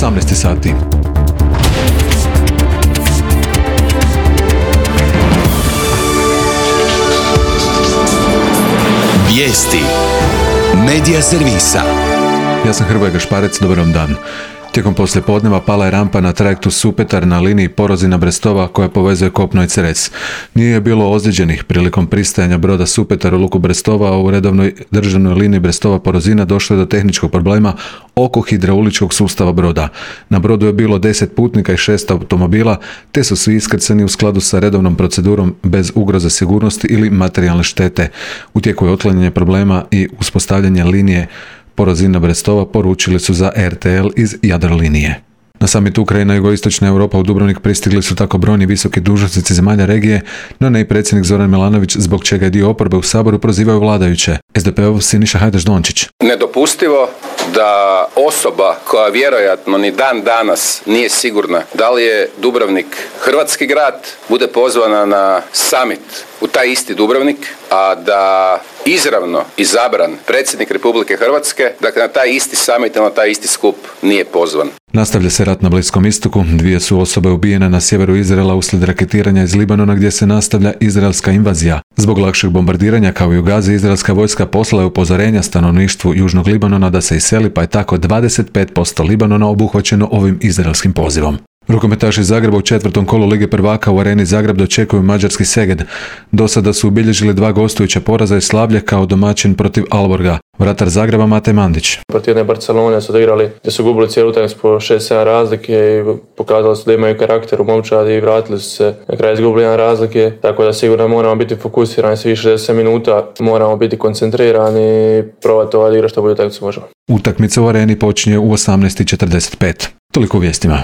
18 sati. Vijesti Medija servisa. Ja sam Hrvoje Gašparec, dobar vam dan. Tijekom poslijepodneva pala je rampa na trajektu Supetar na liniji Porozina-Brestova koja povezuje kopno i Cres. Nije bilo ozlijeđenih prilikom pristajanja broda Supetar u luku Brestova, a u redovnoj državnoj liniji Brestova-Porozina došlo je do tehničkog problema oko hidrauličkog sustava broda. Na brodu je bilo 10 putnika i 6 automobila, te su svi iskrcani u skladu sa redovnom procedurom bez ugroze sigurnosti ili materijalne štete. U tijeku je otklanjanje problema i uspostavljanje linije Porozina-Brestova, poručili su za RTL iz Jadrolinije. Na summit Ukrajina i jugoistočna Europa u Dubrovnik pristigli su tako brojni visoki dužnosnici zemalja regije, no ne i predsjednik Zoran Milanović, zbog čega je dio oporbe u Saboru prozivaju vladajuće. SDP-ov Siniša Hajdaš-Dončić. Nedopustivo da osoba koja vjerojatno ni dan danas nije sigurna da li je Dubrovnik hrvatski grad, bude pozvana na summit u taj isti Dubrovnik, a da izravno izabran predsjednik Republike Hrvatske, dakle na taj isti summit, na taj isti skup nije pozvan. Nastavlja se rat na Bliskom istoku. 2 su osobe ubijene na sjeveru Izraela uslijed raketiranja iz Libanona gdje se nastavlja izraelska invazija. Zbog lakšeg bombardiranja kao i u Gazi, izraelska vojska poslala je upozorenja stanovništvu Južnog Libanona da se iseli, pa je tako 25% Libanona obuhvaćeno ovim izraelskim pozivom. Rukometaši iz Zagreba u 4. kolu Lige prvaka u Areni Zagreb dočekuju mađarski Szeged. Do sada su ubilježili 2 gostujuća poraza i slavlje kao domaćin protiv Alborga. Vratar Zagreba Mate Mandić. Protiv jedne Barcelone su odigrali gdje su gubili cijelu utakmicu po 6-7 razlike i pokazali su da imaju karakter u momčadi i vratili su se na kraj izgubili 1 razlike, tako da sigurno moramo biti fokusirani svi 60 minuta, moramo biti koncentrirani i probati odigrati što bolje utakmicu možemo. Utakmica u Areni počinje u 18:45. Toliko u vijestima.